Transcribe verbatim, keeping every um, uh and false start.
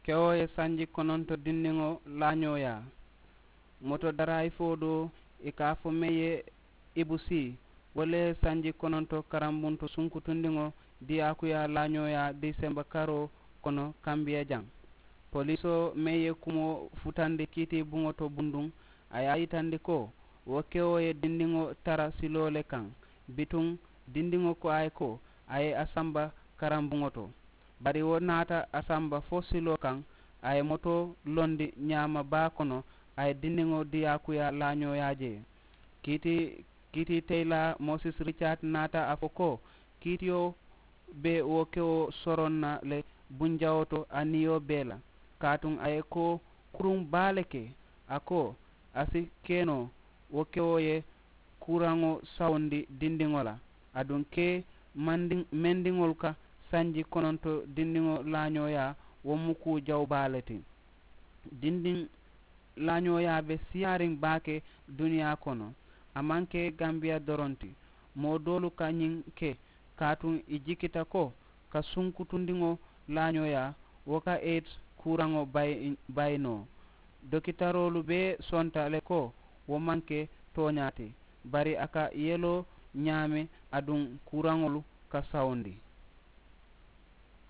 Kewoo ye sanji kononto dindiŋo laañooyaa. Moto daraayifoo doo, i ka a fo meŋ ye ibu sii, wo le ye sanji kononto karambunto sunkutundiŋo diyaakuyaa laañooyaa diisemba karoo kono kambiya jaŋ. Poliisoo meŋ ye kumoo futandi kiitii buŋo to bunduŋ, a ye a yitandi ko wo kewoo ye dindiŋo tara siloo le kaŋ. Bituŋ dindiŋo ko a ye ko a ye a samba karambuŋo to. Bari wo naata a samba fo siloo kaŋ, a ye motoo londi ñaama baa kono, a ye dindiŋo diyaakuyaa laañooyaa jee. Kiitii kiitii teyilaa mosis ricaat naata a fo ko kiitiyo be wo kewo soroŋ na le bunjawoo to a niyo bee la. Kaatuŋ a ye ko kuruŋ baa le ke, a ko a si ke noo wo kewo ye kuuraŋo sawundi dindiŋo la. Aduŋ ke mendiŋolu ka sanji kononto dindiŋo laañooyaa, wo mu kuu jawu baa le ti. Dindiŋ laañooyaa be siyaariŋ baake duniyaa kono. A maŋ ke gambiya doroŋ ti. Moo doolu ka ñiŋ ke kaatuŋ i jikita ko ka sunkutundiŋo laañooyaa wo ka eit kuuraŋo bayi noo. Dokitaroolu bee sonta le ko wo maŋ ke tooñaa ti, bari a ka yeloo ñaami aduŋ kuuraŋolu ka sawundi.